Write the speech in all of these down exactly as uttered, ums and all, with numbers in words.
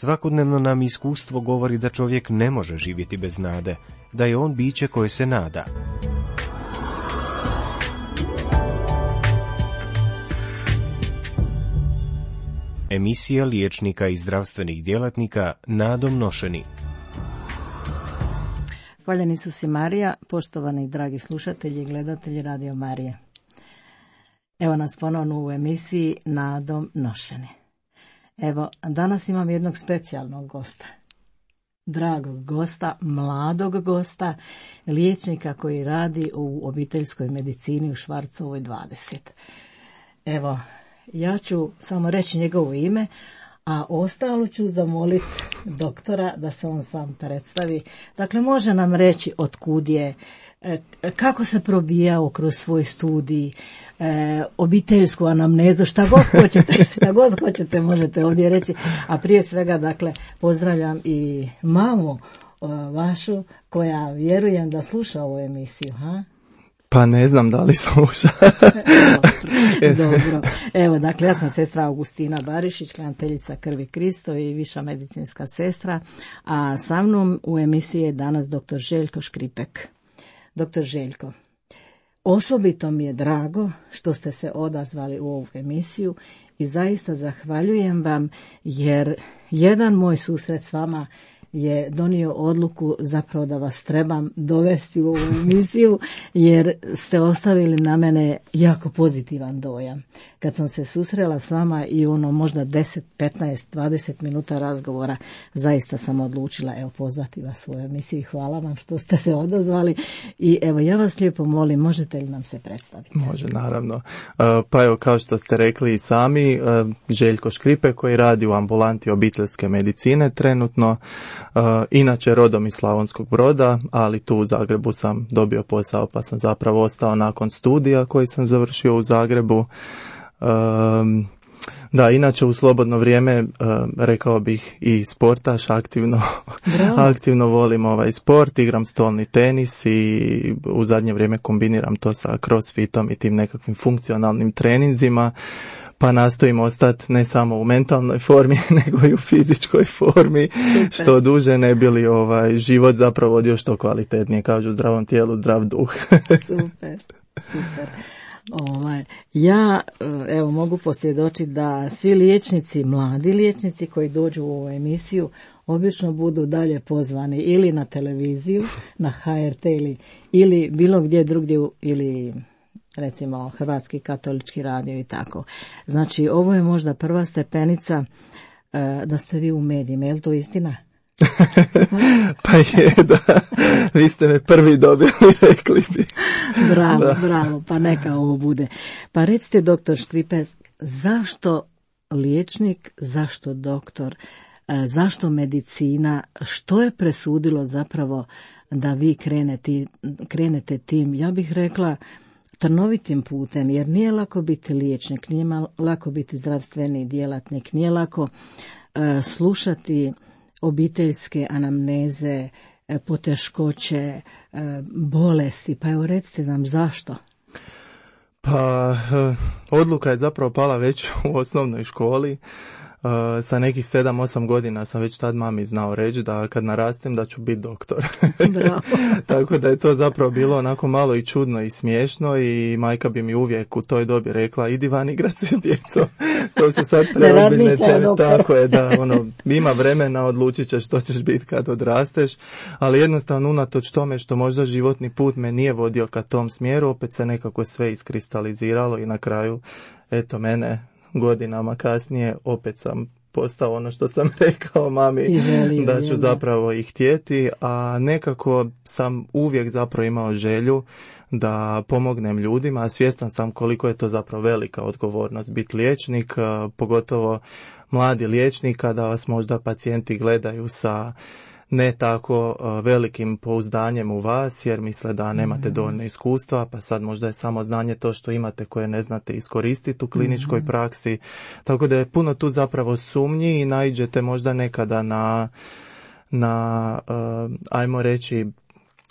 Svakodnevno nam iskustvo govori da čovjek ne može živjeti bez nade, da je on biće koje se nada. Emisija liječnika i zdravstvenih djelatnika nadom nošeni. Hvaljeni su si Marija, poštovani dragi slušatelji i gledatelji Radio Marije. Evo nas ponovno u emisiji Nadom nošeni. Evo, danas imam jednog specijalnog gosta. Dragog gosta, mladog gosta, liječnika koji radi u obiteljskoj medicini u Švarcovoj dvadeset. Evo, ja ću samo reći njegovo ime, a ostalo ću zamoliti doktora da se on sam predstavi. Dakle, može nam reći otkud je, kako se probijao kroz svoj studij, e, obiteljsku anamnezu, šta god hoćete, šta god hoćete možete ovdje reći. A prije svega, dakle, pozdravljam i mamu o, vašu, koja vjerujem da sluša ovu emisiju, ha? Pa ne znam da li sluša. Dobro. Evo, dakle, ja sam sestra Augustina Barišić, klanteljica Krvi Kristo i viša medicinska sestra, a sa mnom u emisiji je danas doktor Željko Škripek. Doktor Željko, osobito mi je drago što ste se odazvali u ovu emisiju i zaista zahvaljujem vam, jer jedan moj susret s vama je donio odluku zapravo da vas trebam dovesti u ovu emisiju, jer ste ostavili na mene jako pozitivan dojam. Kad sam se susrela s vama i ono možda deset, petnaest, dvadeset minuta razgovora, zaista sam odlučila evo pozvati vas u ovu emisiju i hvala vam što ste se odazvali. I evo, ja vas lijepo molim, možete li nam se predstaviti? Može, naravno. Pa evo, kao što ste rekli i sami, Željko Škripek koji radi u ambulanti obiteljske medicine trenutno. Uh, inače rodom iz Slavonskog Broda, ali tu u Zagrebu sam dobio posao pa sam zapravo ostao nakon studija koji sam završio u Zagrebu. Um, da, inače u slobodno vrijeme uh, rekao bih i sportaš, aktivno, aktivno volim ovaj sport, igram stolni tenis i u zadnje vrijeme kombiniram to sa crossfitom i tim nekakvim funkcionalnim treninzima. Pa nastojim ostati ne samo u mentalnoj formi, nego i u fizičkoj formi, super. Što duže ne bi li ovaj život zapravo odio što kvalitetnije, kažu u zdravom tijelu, zdrav duh. Super, super. Ovaj, ja evo mogu posvjedočiti da svi liječnici, mladi liječnici koji dođu u ovu emisiju, obično budu dalje pozvani ili na televiziju, na ha er te ili, ili bilo gdje drugdje ili recimo Hrvatski katolički radio i tako. Znači, ovo je možda prva stepenica uh, da ste vi u medijima, je li to istina? Pa je, da. Vi ste me prvi dobili, rekli bi. Bravo, da. bravo, pa neka ovo bude. Pa recite, doktor Škripek, zašto liječnik, zašto doktor, uh, zašto medicina, što je presudilo zapravo da vi krenete, krenete tim, ja bih rekla, trnovitim putem, jer nije lako biti liječnik, nije lako biti zdravstveni djelatnik, nije lako uh, slušati obiteljske anamneze, uh, poteškoće, uh, bolesti. Pa evo recite nam zašto? Pa uh, odluka je zapravo pala već u osnovnoj školi. Uh, sa nekih sedam osam godina sam već tad mami znao reći da kad narastem da ću biti doktor. Tako da je to zapravo bilo onako malo i čudno i smiješno i majka bi mi uvijek u toj dobi rekla idi van igrat se s djecom. To su sad preozbiljne teme. Tako je, da, ono, ima vremena, odlučit ćeš što ćeš biti kad odrasteš, ali jednostavno unatoč tome što možda životni put me nije vodio ka tom smjeru, opet se nekako sve iskristaliziralo i na kraju, eto mene, godinama kasnije opet sam postao ono što sam rekao mami želi, da ću želi. zapravo i htjeti, a nekako sam uvijek zapravo imao želju da pomognem ljudima, a svjestan sam koliko je to zapravo velika odgovornost biti liječnik, pogotovo mladi liječnik, kada vas možda pacijenti gledaju sa ne tako uh, velikim pouzdanjem u vas, jer misle da nemate mm-hmm. dovoljno iskustva, pa sad možda je samo znanje to što imate koje ne znate iskoristiti u kliničkoj mm-hmm. praksi. Tako da je puno tu zapravo sumnji i naiđete možda nekada na, na uh, ajmo reći,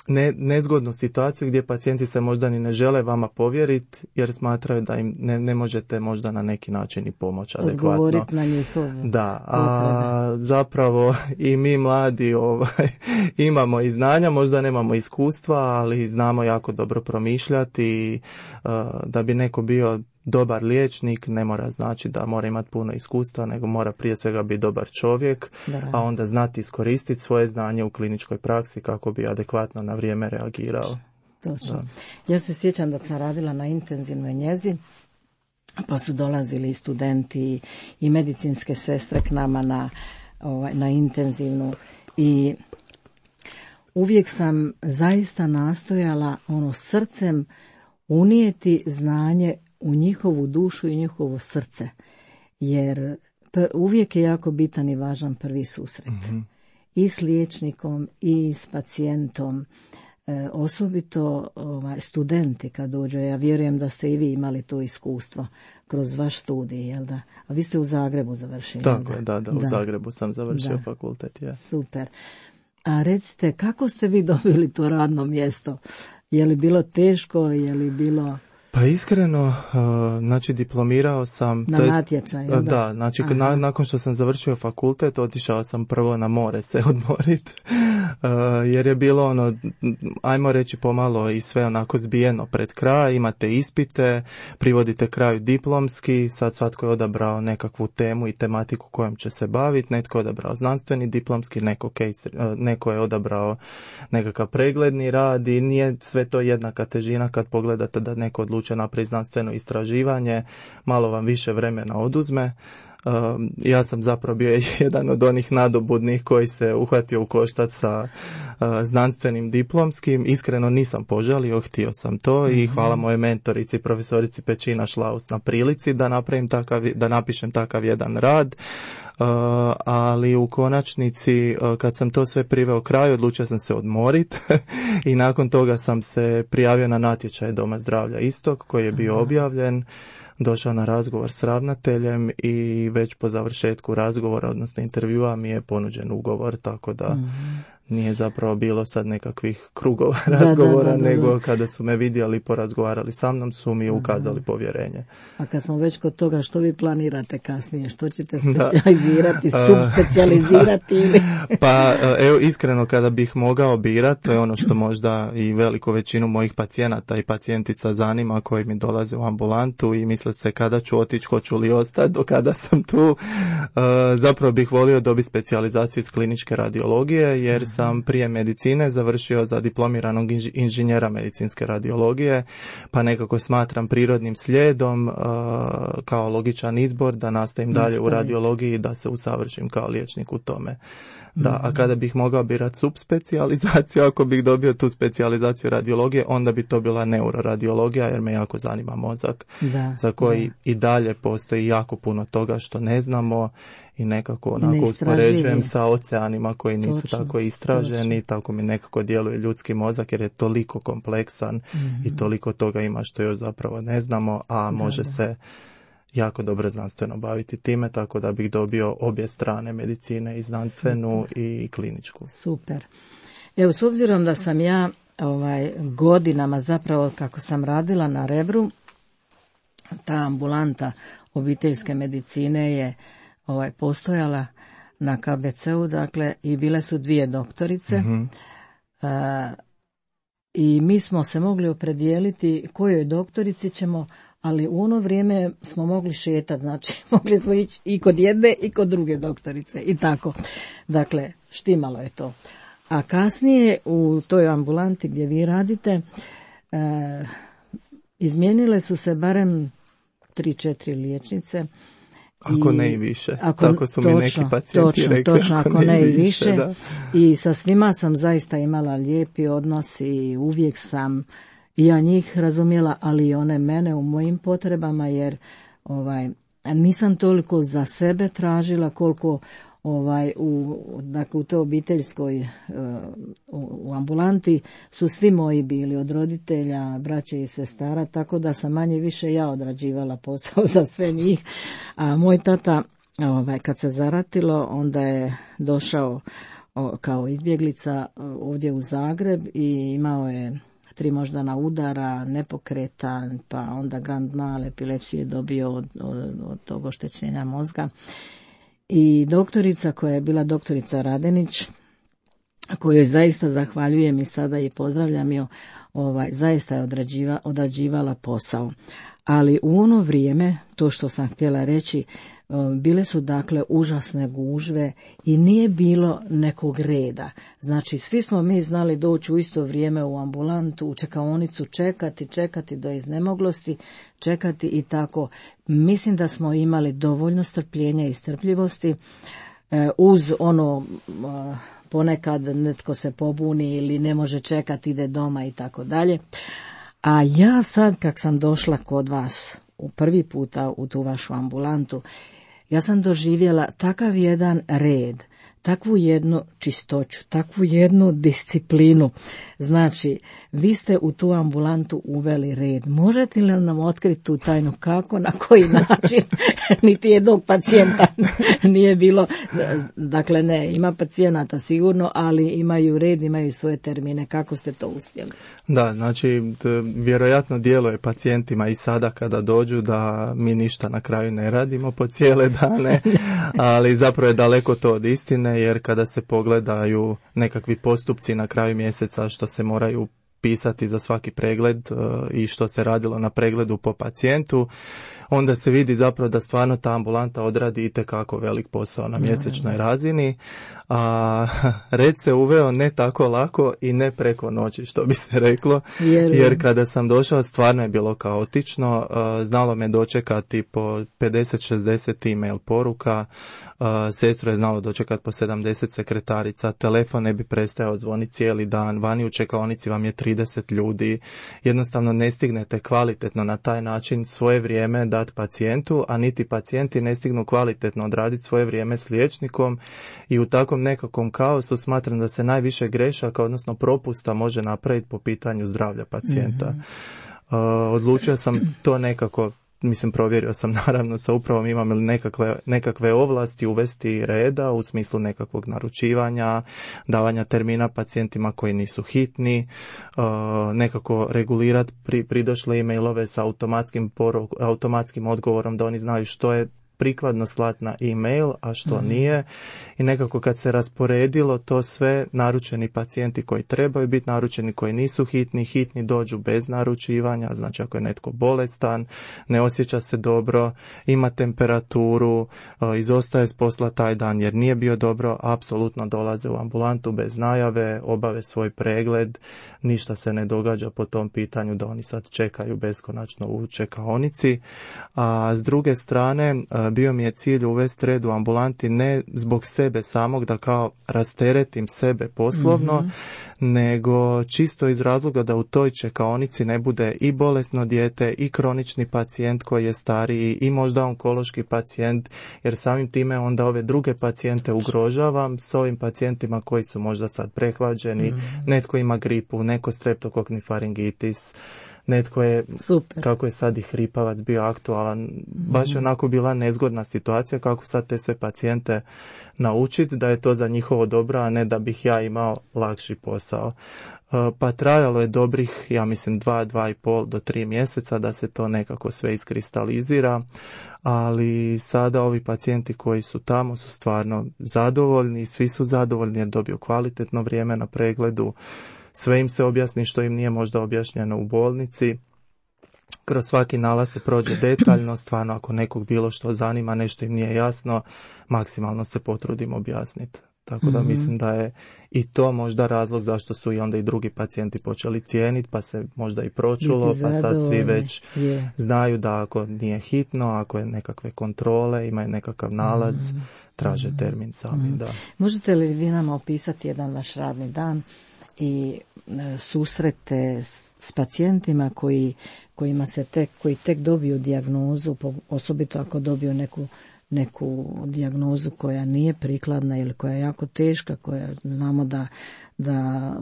ne, nezgodnu situaciju gdje pacijenti se možda ni ne žele vama povjeriti jer smatraju da im ne, ne možete možda na neki način i pomoći adekvatno. Odgovoriti na njihove Da, a zapravo i mi mladi ovaj, imamo i znanja, možda nemamo iskustva, ali znamo jako dobro promišljati i uh, da bi neko bio dobar liječnik ne mora znači da mora imati puno iskustva, nego mora prije svega biti dobar čovjek, da, a onda znati iskoristiti svoje znanje u kliničkoj praksi kako bi adekvatno na vrijeme reagirao. Točno. Da. Ja se sjećam dok sam radila na intenzivnoj njezi, pa su dolazili studenti i medicinske sestre k nama na, ovaj, na intenzivnu i uvijek sam zaista nastojala ono srcem unijeti znanje u njihovu dušu i njihovo srce, jer uvijek je jako bitan i važan prvi susret. Mm-hmm. I s liječnikom i s pacijentom, e, osobito ovaj, studenti kad dođu. Ja vjerujem da ste i vi imali to iskustvo kroz vaš studij, jel da? A vi ste u Zagrebu završili. Tako je, da, da, u da. Zagrebu sam završio da. fakultet. Ja. Super. A recite, kako ste vi dobili to radno mjesto? Je li bilo teško, je li bilo... Pa iskreno, uh, znači diplomirao sam... Na natječaju, da? Da, znači na, nakon što sam završio fakultet, otišao sam prvo na more se odmoriti, uh, jer je bilo ono, ajmo reći pomalo i sve onako zbijeno pred kraj, imate ispite, privodite kraju diplomski, sad svatko je odabrao nekakvu temu i tematiku kojom će se baviti, netko je odabrao znanstveni diplomski, neko, case, uh, neko je odabrao nekakav pregledni rad i nije sve to jednaka težina kad pogledate da neko odluči napravi znanstveno istraživanje, malo vam više vremena oduzme. Um, ja sam zapravo bio jedan od onih nadobudnih koji se uhvatio u koštac sa uh, znanstvenim diplomskim. Iskreno nisam požalio, htio sam to mm-hmm. i hvala moje mentorici, profesorici Pečina Šlaus na prilici da napravim takav, da napišem takav jedan rad. Uh, ali u konačnici uh, kad sam to sve priveo kraju, odlučio sam se odmoriti i nakon toga sam se prijavio na natječaj Doma zdravlja Istok koji je bio objavljen, došao na razgovor s ravnateljem i već po završetku razgovora, odnosno intervjua, mi je ponuđen ugovor, tako da mm-hmm. nije zapravo bilo sad nekakvih krugova da, razgovora, da, da, da, nego da. Kada su me vidjeli, porazgovarali sa mnom, su mi ukazali da. povjerenje. A kad smo već kod toga, što vi planirate kasnije? Što ćete specijalizirati, subspecijalizirati? Ili? Pa evo, iskreno kada bih mogao birati, to je ono što možda i veliku većinu mojih pacijenata i pacijentica zanima koji mi dolaze u ambulantu i misle se kada ću otići, hoću li ostati, do kada sam tu. Zapravo bih volio dobiti specijalizaciju iz kliničke radiologije, jer sam prije medicine završio za diplomiranog inž- inženjera medicinske radiologije, pa nekako smatram prirodnim slijedom uh, kao logičan izbor da nastavim dalje u radiologiji i da se usavršim kao liječnik u tome. Da, a kada bih mogao birati subspecijalizaciju, ako bih dobio tu specijalizaciju radiologije, onda bi to bila neuroradiologija, jer me jako zanima mozak, da, za koji da. i dalje postoji jako puno toga što ne znamo i nekako onako uspoređujem sa oceanima koji nisu točno, tako istraženi, točno. Tako mi nekako djeluje ljudski mozak jer je toliko kompleksan mm-hmm. i toliko toga ima što još zapravo ne znamo, a da, može da. se jako dobro znanstveno baviti time, tako da bih dobio obje strane medicine, i znanstvenu Super. i kliničku. Super. Evo, s obzirom da sam ja ovaj, godinama zapravo kako sam radila na Rebru, ta ambulanta obiteljske medicine je ovaj, postojala na K B C-u, dakle, i bile su dvije doktorice. Mm-hmm. Uh, I mi smo se mogli opredijeliti kojoj doktorici ćemo, ali u ono vrijeme smo mogli šetati, znači mogli smo ići i kod jedne i kod druge doktorice i tako. Dakle, štimalo je to. A kasnije u toj ambulanti gdje vi radite, e, izmijenile su se barem tri, četiri liječnice. Ako I, ne i više. Ako, tako su točno, mi neki pacijenti točno, rekli. Točno, ako, ako ne i više. Da. I sa svima sam zaista imala lijepi odnos i uvijek sam i ja njih razumjela, ali i one mene u mojim potrebama, jer ovaj, nisam toliko za sebe tražila koliko ovaj, u, dakle, u toj obiteljskoj u, u ambulanti su svi moji bili od roditelja, braće i sestara, tako da sam manje više ja odrađivala posao za sve njih. A moj tata, ovaj, kad se zaratilo, onda je došao kao izbjeglica ovdje u Zagreb i imao je tri moždana udara, nepokretan, pa onda grand mal epilepsiju je dobio od, od, od tog oštećenja mozga. I doktorica koja je bila doktorica Radenić, kojoj zaista zahvaljujem i sada i pozdravljam ju, ovaj, zaista je odrađiva, odrađivala posao. Ali u ono vrijeme, to što sam htjela reći, bile su dakle užasne gužve i nije bilo nekog reda. Znači svi smo mi znali doći u isto vrijeme u ambulantu, u čekaonicu, čekati, čekati do iznemoglosti, čekati i tako. Mislim da smo imali dovoljno strpljenja i strpljivosti uz ono ponekad netko se pobuni ili ne može čekati, ide doma i tako dalje. A ja sad kak sam došla kod vas u prvi puta u tu vašu ambulantu, ja sam doživjela takav jedan red, takvu jednu čistoću, takvu jednu disciplinu. Znači, vi ste u tu ambulantu uveli red. Možete li nam otkriti tu tajnu kako, na koji način? Niti jednog pacijenta nije bilo. Dakle, ne, ima pacijenata sigurno, ali imaju red, imaju svoje termine. Kako ste to uspjeli? Da, znači, vjerojatno djeluje pacijentima i sada kada dođu da mi ništa na kraju ne radimo po cijele dane, ali zapravo je daleko to od istine, jer kada se pogledaju nekakvi postupci na kraju mjeseca što se moraju pisati za svaki pregled i što se radilo na pregledu po pacijentu, onda se vidi zapravo da stvarno ta ambulanta odradi itekako velik posao na mjesečnoj razini, a red se uveo ne tako lako i ne preko noći, što bi se reklo, jer kada sam došao stvarno je bilo kaotično, znalo me dočekati po pedeset šezdeset e-mail poruka, sestru je znalo dočekati po sedamdeset sekretarica, telefon ne bi prestajao zvoniti cijeli dan, vani u čekaonici vam je trideset ljudi, jednostavno ne stignete kvalitetno na taj način svoje vrijeme dati pacijentu, a niti pacijenti ne stignu kvalitetno odraditi svoje vrijeme s liječnikom i u takvom nekakvom kaosu smatram da se najviše grešaka, odnosno propusta može napraviti po pitanju zdravlja pacijenta. Mm-hmm. Uh, odlučio sam to nekako, mislim provjerio sam naravno sa upravom imam li nekakve, nekakve ovlasti uvesti reda u smislu nekakvog naručivanja, davanja termina pacijentima koji nisu hitni, uh, nekako regulirati pri, pridošle e-mailove sa automatskim, poruk, automatskim odgovorom da oni znaju što je prikladno slati na e-mail, a što mm-hmm. nije. I nekako kad se rasporedilo to sve, naručeni pacijenti koji trebaju biti naručeni, koji nisu hitni, hitni dođu bez naručivanja, znači ako je netko bolestan, ne osjeća se dobro, ima temperaturu, izostaje s posla taj dan jer nije bio dobro, apsolutno dolaze u ambulantu bez najave, obave svoj pregled, ništa se ne događa po tom pitanju da oni sad čekaju beskonačno u čekaonici. A s druge strane, bio mi je cilj uvesti red u ambulanti ne zbog sebe samog da kao rasteretim sebe poslovno, mm-hmm. nego čisto iz razloga da u toj čekaonici ne bude i bolesno dijete i kronični pacijent koji je stariji i možda onkološki pacijent, jer samim time onda ove druge pacijente ugrožavam s ovim pacijentima koji su možda sad prehlađeni, mm-hmm. netko ima gripu, neko streptokokni faringitis, netko je, super. Kako je sad i hripavac bio aktualan, mm-hmm. baš je onako bila nezgodna situacija kako sad te sve pacijente naučiti da je to za njihovo dobro, a ne da bih ja imao lakši posao. Pa trajalo je dobrih, ja mislim, dva, dva i pol do tri mjeseca da se to nekako sve iskristalizira, ali sada ovi pacijenti koji su tamo su stvarno zadovoljni, svi su zadovoljni jer dobiju kvalitetno vrijeme na pregledu, sve im se objasni što im nije možda objašnjeno u bolnici. Kroz svaki nalaz se prođe detaljno, stvarno ako nekog bilo što zanima, nešto im nije jasno, maksimalno se potrudim objasniti. Tako da mm-hmm. mislim da je i to možda razlog zašto su i onda i drugi pacijenti počeli cijeniti, pa se možda i pročulo, pa sad svi već yeah. znaju da ako nije hitno, ako je nekakve kontrole, imaju nekakav nalaz, mm-hmm. traže termin sami. Mm-hmm. Da. Možete li vi nam opisati jedan vaš radni dan i e, susrete s, s pacijentima koji, kojima se tek, koji tek dobiju dijagnozu, osobito ako dobiju neku neku dijagnozu koja nije prikladna ili koja je jako teška, koja znamo da, da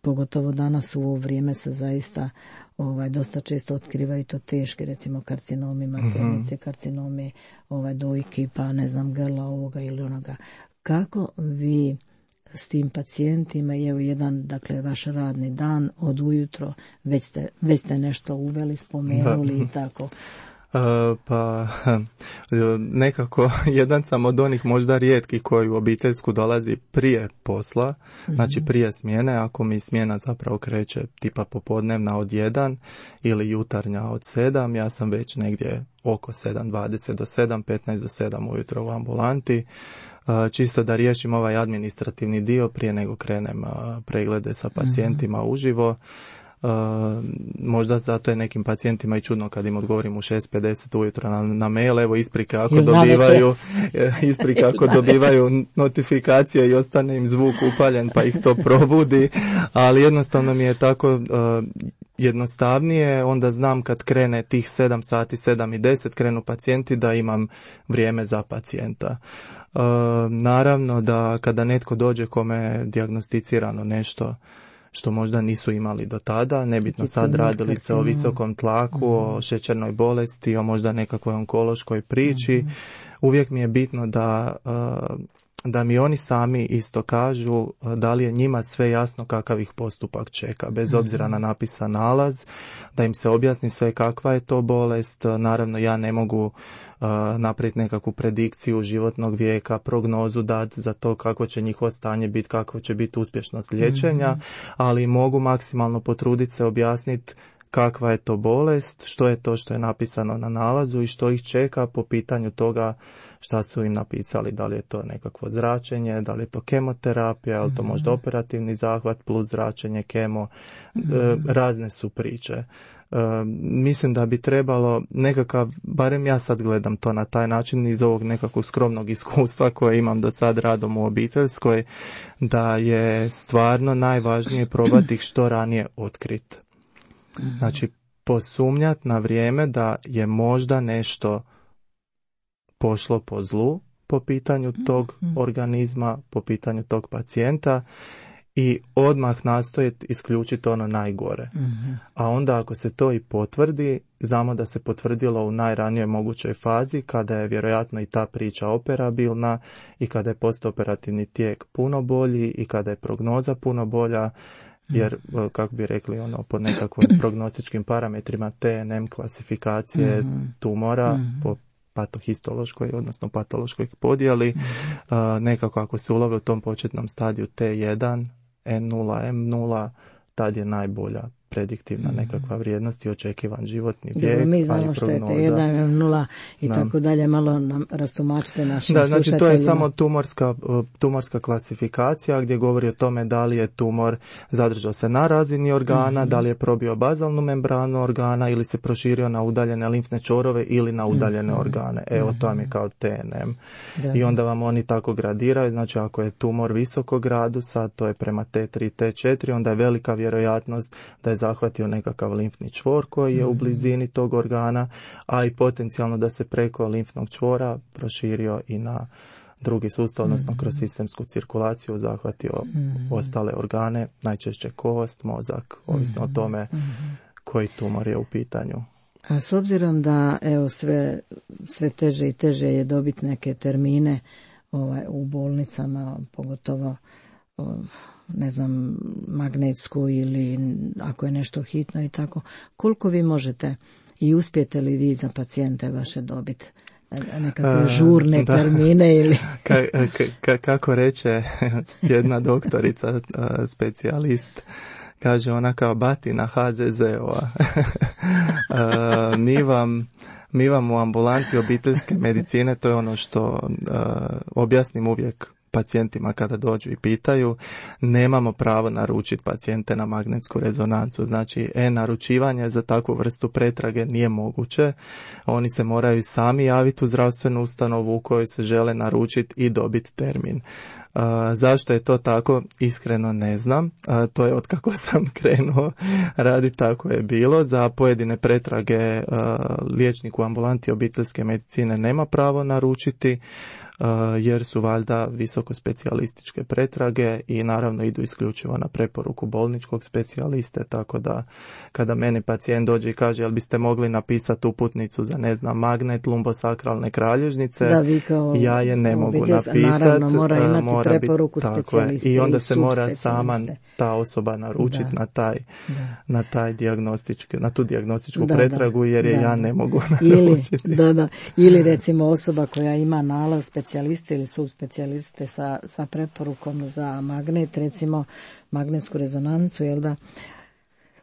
pogotovo danas u ovo vrijeme se zaista ovaj, dosta često otkrivaju to teški, recimo karcinomi maternice, mm-hmm. karcinomi ovaj, dojki, pa ne znam, grla ovoga ili onoga. Kako vi s tim pacijentima i evo jedan, dakle, vaš radni dan od ujutro, već ste, već ste nešto uveli, spomenuli da. I tako. Uh, pa nekako jedan sam od onih možda rijetkih koji u obiteljsku dolazi prije posla, mm-hmm. znači prije smjene, ako mi smjena zapravo kreće tipa popodnevna od jedan ili jutarnja od sedam, ja sam već negdje oko sedam dvadeset do sedam, petnaest do sedam ujutro u ambulanti, uh, čisto da riješim ovaj administrativni dio prije nego krenem uh, preglede sa pacijentima mm-hmm. uživo. Uh, možda zato je nekim pacijentima i čudno kad im odgovorim u šest pedeset ujutro na, na mail, evo isprike ako Ili dobivaju isprike ako dobivaju notifikacije i ostane im zvuk upaljen pa ih to probudi, ali jednostavno mi je tako uh, jednostavnije, onda znam kad krene tih sedam sati, sedam i deset krenu pacijenti da imam vrijeme za pacijenta. Uh, naravno da kada netko dođe kome je dijagnosticirano nešto što možda nisu imali do tada, nebitno sad radili se o visokom tlaku, mm. o šećernoj bolesti, o možda nekakvoj onkološkoj priči. Mm. Uvijek mi je bitno da, da mi oni sami isto kažu da li je njima sve jasno kakav ih postupak čeka, bez obzira na napisan nalaz, da im se objasni sve kakva je to bolest. Naravno, ja ne mogu Uh, napraviti nekakvu predikciju životnog vijeka, prognozu dati za to kako će njihovo stanje biti, kako će biti uspješnost liječenja, mm-hmm. ali mogu maksimalno potruditi se objasniti kakva je to bolest, što je to što je napisano na nalazu i što ih čeka po pitanju toga šta su im napisali, da li je to nekakvo zračenje, da li je to kemoterapija, ili to možda operativni zahvat plus zračenje, kemo, mm-hmm. e, razne su priče. Uh, mislim da bi trebalo nekakav, barem ja sad gledam to na taj način iz ovog nekakvog skromnog iskustva koje imam do sad radom u obiteljskoj, da je stvarno najvažnije probati ih što ranije otkriti. Znači posumnjati na vrijeme da je možda nešto pošlo po zlu po pitanju tog organizma, po pitanju tog pacijenta, i odmah nastojiti isključiti ono najgore. Mm-hmm. A onda ako se to i potvrdi, znamo da se potvrdilo u najranijoj mogućoj fazi, kada je vjerojatno i ta priča operabilna i kada je postoperativni tijek puno bolji i kada je prognoza puno bolja, jer, kako bi rekli, ono, po nekakvim prognostičkim parametrima T N M klasifikacije mm-hmm. tumora, mm-hmm. po patohistološkoj, odnosno patološkoj podjeli, mm-hmm. uh, nekako ako se ulove u tom početnom stadiju T jedan, N nula, M nula, tad je najbolja prediktivna nekakva vrijednost i očekivan životni vijek. Mi znamo što je T jedan, M nula i da. Tako dalje, malo nam rastumačite našim da, slušateljima. Znači to je samo tumorska, tumorska klasifikacija gdje govori o tome da li je tumor zadržao se na razini organa, mm-hmm. da li je probio bazalnu membranu organa ili se proširio na udaljene limfne čvorove ili na udaljene mm-hmm. organe. Evo, to vam je kao T N M. Da. I onda vam oni tako gradiraju, znači ako je tumor visokog gradusa, to je prema T tri, T četiri, onda je velika vjerojatnost da je zahvatio nekakav limfni čvor koji je mm-hmm. u blizini tog organa, a i potencijalno da se preko limfnog čvora proširio i na drugi sustav, odnosno mm-hmm. kroz sistemsku cirkulaciju zahvatio mm-hmm. ostale organe, najčešće kost, mozak, ovisno mm-hmm. o tome mm-hmm. koji tumor je u pitanju. A s obzirom da evo sve, sve teže i teže je dobiti neke termine ovaj, u bolnicama, pogotovo o, ne znam, magnetsku ili ako je nešto hitno i tako, koliko vi možete i uspijete li vi za pacijente vaše dobiti nekakve žurne da. termine ili... ka, ka, kako reče jedna doktorica, specijalist, kaže ona kao batina H Z Z-ova. mi vam mi vam u ambulanti obiteljske medicine, to je ono što uh, objasnim uvijek pacijentima kada dođu i pitaju, nemamo pravo naručiti pacijente na magnetsku rezonancu. Znači, e-naručivanje za takvu vrstu pretrage nije moguće. Oni se moraju sami javiti u zdravstvenu ustanovu u kojoj se žele naručiti i dobiti termin. Uh, zašto je to tako? Iskreno ne znam. Uh, to je od kako sam krenuo raditi, tako je bilo. Za pojedine pretrage uh, liječnik u ambulanti obiteljske medicine nema pravo naručiti. jer su valjda visoko specijalističke pretrage i naravno idu isključivo na preporuku bolničkog specijaliste, tako da kada meni pacijent dođe i kaže jel biste mogli napisati uputnicu za ne znam magnet lumbosakralne kralježnice, da, vi kao ja je ne mogu napisati. Naravno mora imati mora preporuku biti, specijaliste i onda i se mora sama ta osoba naručiti na taj, na taj dijagnostički, na tu dijagnostičku da, pretragu jer da, je da, ja ne mogu naručiti. Ili, da, da, ili recimo osoba koja ima nalaz specijaliste ili subspecijaliste sa, sa preporukom za magnet, recimo magnetsku rezonancu, jel da,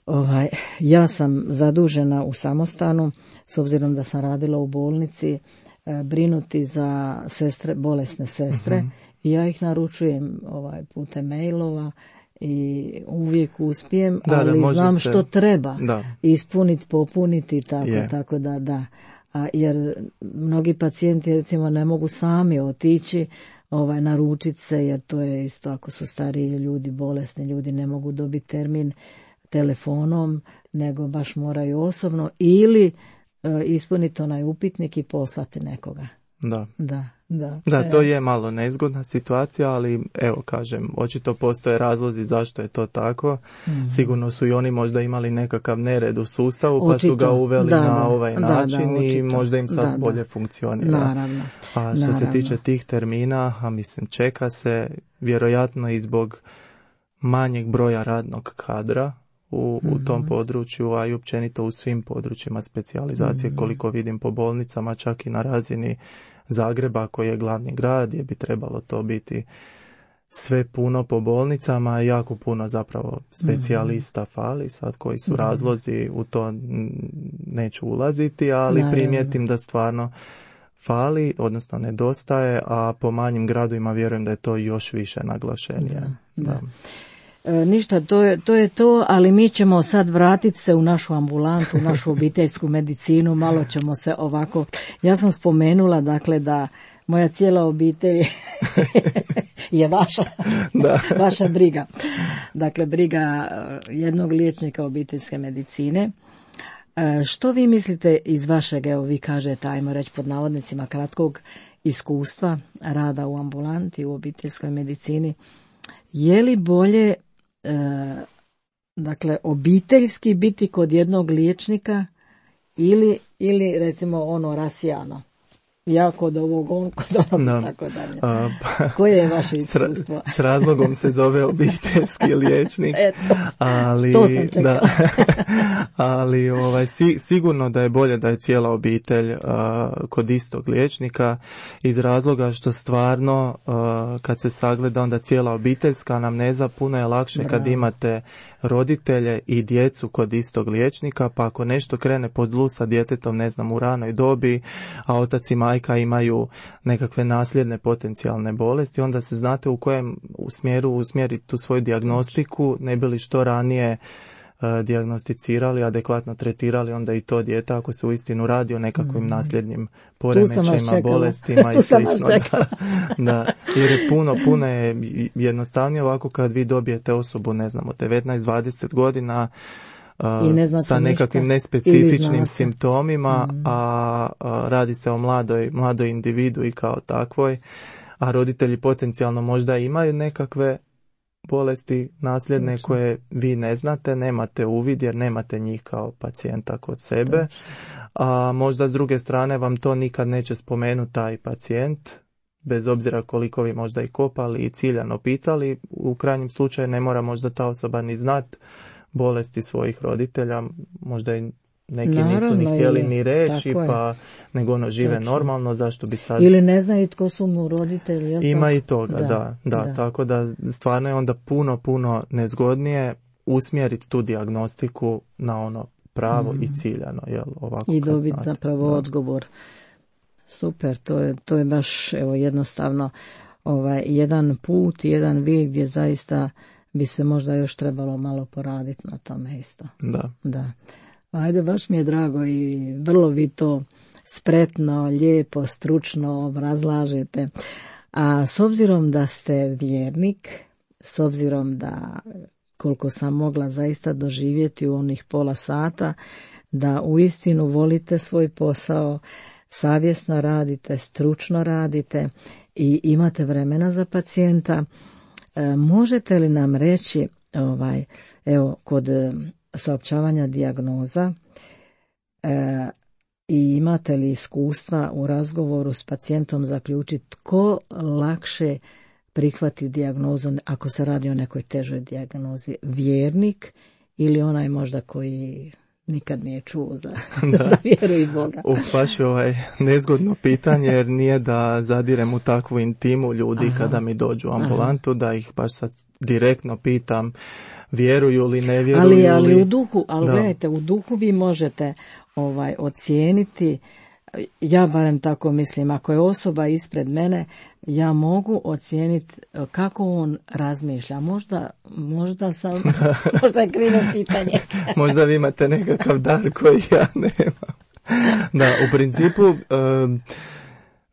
ovaj, ja sam zadužena u samostanu, s obzirom da sam radila u bolnici, e, brinuti za sestre, bolesne sestre, uh-huh. i ja ih naručujem ovaj, putem mailova i uvijek uspijem, da, ali da, znam se, što treba ispuniti, popuniti, tako, yeah. tako da da. A, jer mnogi pacijenti recimo ne mogu sami otići ovaj, naručiti se, jer to je isto ako su stariji ljudi, bolesni ljudi, ne mogu dobiti termin telefonom, nego baš moraju osobno ili e, ispuniti onaj upitnik i poslati nekoga. Da. Da, da. Da, to je malo nezgodna situacija, ali evo kažem, očito postoje razlozi zašto je to tako. Mm. Sigurno su i oni možda imali nekakav nered u sustavu, pa očito. Su ga uveli da, na da, ovaj da, način da, i možda im sad da, bolje da. funkcionira. Naravno. A što Naravno. se tiče tih termina, a mislim čeka se vjerojatno i zbog manjeg broja radnog kadra u, mm-hmm. u tom području, a i općenito u svim područjima specijalizacije, mm-hmm. koliko vidim po bolnicama, čak i na razini Zagreba koji je glavni grad, gdje bi trebalo to biti sve puno po bolnicama, jako puno zapravo specijalista mm-hmm. fali, sad koji su mm-hmm. razlozi, u to neću ulaziti, ali Naravno. primijetim da stvarno fali, odnosno nedostaje, a po manjim gradovima vjerujem da je to još više naglašenije. Da, da. E, ništa, to je, to je to, ali mi ćemo sad vratiti se u našu ambulantu, u našu obiteljsku medicinu, malo ćemo se ovako, ja sam spomenula dakle da moja cijela obitelj je vaša, da. vaša briga. Dakle, briga jednog liječnika obiteljske medicine. E, što vi mislite iz vašeg, evo vi kažete, ajmo reći pod navodnicima, kratkog iskustva rada u ambulanti, u obiteljskoj medicini, je li bolje E, dakle obiteljski biti kod jednog liječnika ili, ili recimo ono rasijano, ja kod ovog, on kod onog, no. tako dalje. A, pa, koje je vaše iskustvo? S, s razlogom se zove obiteljski liječnik, Eto, ali, to sam čekala. Da, ali ovaj, si, sigurno da je bolje da je cijela obitelj a, kod istog liječnika, iz razloga što stvarno a, kad se sagleda onda cijela obiteljska anamneza puno je lakše Bravo. Kad imate roditelje i djecu kod istog liječnika, pa ako nešto krene po zlu sa djetetom, ne znam, u ranoj dobi, a otac i majka imaju nekakve nasljedne potencijalne bolesti, onda se znate u kojem u smjeru usmjeriti tu svoju dijagnostiku, ne bi li što ranije uh, dijagnosticirali, adekvatno tretirali onda i to dijete ako se uistinu radi o nekakvim mm. nasljednim poremećajima, bolestima i slično. Da, da, jer je puno, puno je jednostavnije ovako kad vi dobijete osobu, ne znam, od devetnaest dvadeset godina, Uh, sa nekakvim nespecifičnim simptomima, mm. a, a radi se o mladoj, mladoj individu i kao takvoj, a roditelji potencijalno možda imaju nekakve bolesti nasljedne Točno. Koje vi ne znate, nemate uvid jer nemate njih kao pacijenta kod sebe, Točno. A možda s druge strane vam to nikad neće spomenuti taj pacijent, bez obzira koliko vi možda i kopali i ciljano pitali, u krajnjem slučaju ne mora možda ta osoba ni znat bolesti svojih roditelja, možda i neki Naravno, nisu ni htjeli ili, ni reći, pa nego ono žive Točno. Normalno, zašto bi sad... Ili ne znaju tko su mu roditelji. Ima tako? I toga, da, da, da, da. Tako da stvarno je onda puno, puno nezgodnije usmjeriti tu dijagnostiku na ono pravo mm. i ciljano. Jel, ovako I dobiti zapravo da. Odgovor. Super, to je, to je baš evo, jednostavno ovaj, jedan put, jedan vijek gdje zaista bi se možda još trebalo malo poraditi na tome isto. Da. Da. Ajde, baš mi je drago i vrlo vi to spretno, lijepo, stručno obrazlažete. A s obzirom da ste vjernik, s obzirom da koliko sam mogla zaista doživjeti u onih pola sata, da uistinu volite svoj posao, savjesno radite, stručno radite i imate vremena za pacijenta, e, možete li nam reći, ovaj, evo, kod e, saopćavanja dijagnoza, e, i imate li iskustva u razgovoru s pacijentom zaključiti tko lakše prihvati dijagnozu ako se radi o nekoj težoj dijagnozi, vjernik ili onaj možda koji nikad nije čuo za, za vjeru i Boga? U, baš je ovaj nezgodno pitanje, jer nije da zadirem u takvu intimu ljudi. Aha. Kada mi dođu u ambulantu, aha, da ih baš sad direktno pitam vjeruju li, ne vjeruju ali, li. Ali u duhu, ali gledajte, u duhu vi možete ovaj ocijeniti, ja barem tako mislim, ako je osoba ispred mene, ja mogu ocijeniti kako on razmišlja. Možda, možda sam, možda je krivo pitanje. Možda vi imate nekakav dar koji ja nemam. Da, u principu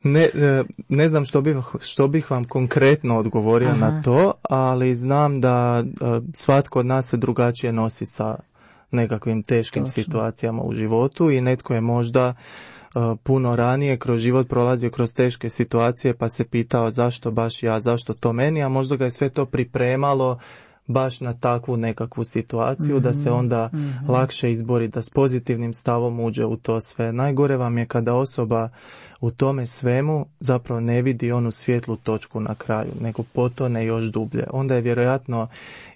ne, ne znam što bih, što bih vam konkretno odgovorio. Aha. Na to, ali znam da svatko od nas se drugačije nosi sa nekakvim teškim Točno. situacijama u životu i netko je možda uh, puno ranije kroz život prolazio kroz teške situacije pa se pitao zašto baš ja, zašto to meni, a možda ga je sve to pripremalo baš na takvu nekakvu situaciju, mm-hmm. da se onda mm-hmm. lakše izbori, da s pozitivnim stavom uđe u to sve. Najgore vam je kada osoba u tome svemu zapravo ne vidi onu svjetlu točku na kraju, nego potone još dublje. Onda je vjerojatno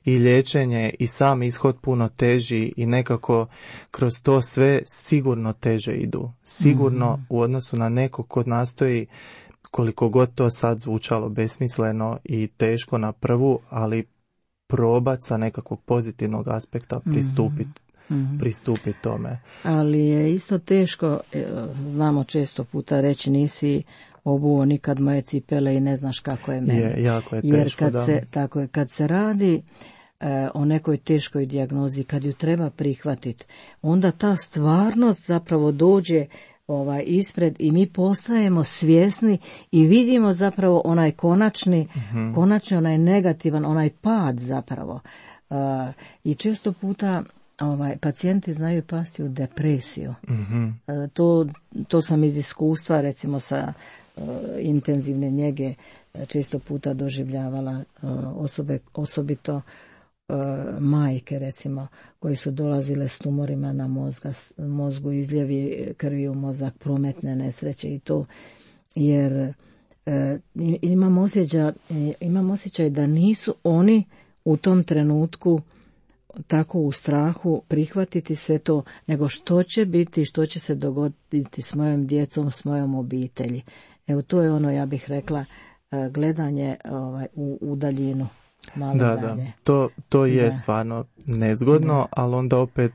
i liječenje i sam ishod puno teži i nekako kroz to sve sigurno teže idu. Sigurno mm-hmm. u odnosu na nekog ko nastoji, koliko god to sad zvučalo besmisleno i teško na prvu, ali probat sa nekakvog pozitivnog aspekta pristupiti mm-hmm. pristupit tome. Ali je isto teško, znamo često puta reći nisi obuo nikad moje cipele i ne znaš kako je meni. Je, jako je teško, jer kad da. se, tako je, kad se radi e, o nekoj teškoj dijagnozi, kad ju treba prihvatiti, onda ta stvarnost zapravo dođe ovaj ispred i mi postajemo svjesni i vidimo zapravo onaj konačni, mm-hmm. konačni onaj negativan, onaj pad zapravo. Uh, I često puta ovaj pacijenti znaju pasti u depresiju. Mm-hmm. Uh, to, to sam iz iskustva recimo sa uh, intenzivne njege često puta doživljavala uh, osobe, osobito majke recimo koji su dolazile s tumorima na mozga, mozgu, izljevi krvi u mozak, prometne nesreće i to, jer e, imam osjećaj, imam osjećaj da nisu oni u tom trenutku tako u strahu prihvatiti sve to, nego što će biti, što će se dogoditi s mojom djecom, s mojom obitelji. Evo to je ono, ja bih rekla, gledanje ovaj, u, u daljinu. Malo da, dalje. da, to, to je da. stvarno nezgodno, da. Ali onda opet